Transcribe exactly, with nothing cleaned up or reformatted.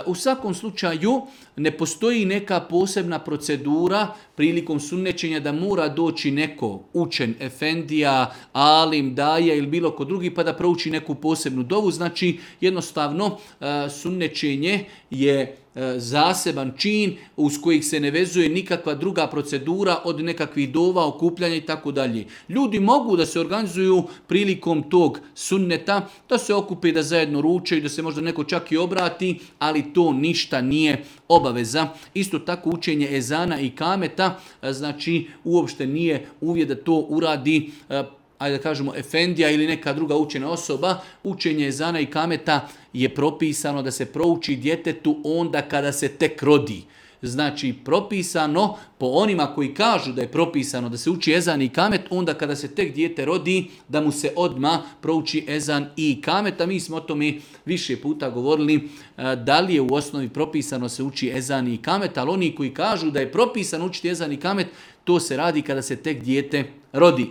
U svakom slučaju ne postoji neka posebna procedura prilikom sunnećenja da mora doći neko učen, efendija, alim, daja ili bilo ko drugi pa da prouči neku posebnu dovu. Znači jednostavno sunnećenje je zaseban čin uz kojih se ne vezuje nikakva druga procedura od nekakvih dova, okupljanja i tako dalje. Ljudi mogu da se organizuju prilikom tog sunneta, da se okupe, da zajedno ručaju, da se možda neko čak i obrati, ali to ništa nije obaveza. Isto tako učenje ezana i kameta, znači uopšte nije uvjet da to uradi ajde da kažemo efendija ili neka druga učena osoba. Učenje ezana i kameta je propisano da se prouči djetetu onda kada se tek rodi. Znači propisano po onima koji kažu da je propisano da se uči ezan i kamet onda kada se tek dijete rodi da mu se odmah prouči ezan i kamet. A mi smo o tome više puta govorili da li je u osnovi propisano se uči ezan i kamet, ali oni koji kažu da je propisano učiti ezan i kamet, to se radi kada se tek dijete rodi.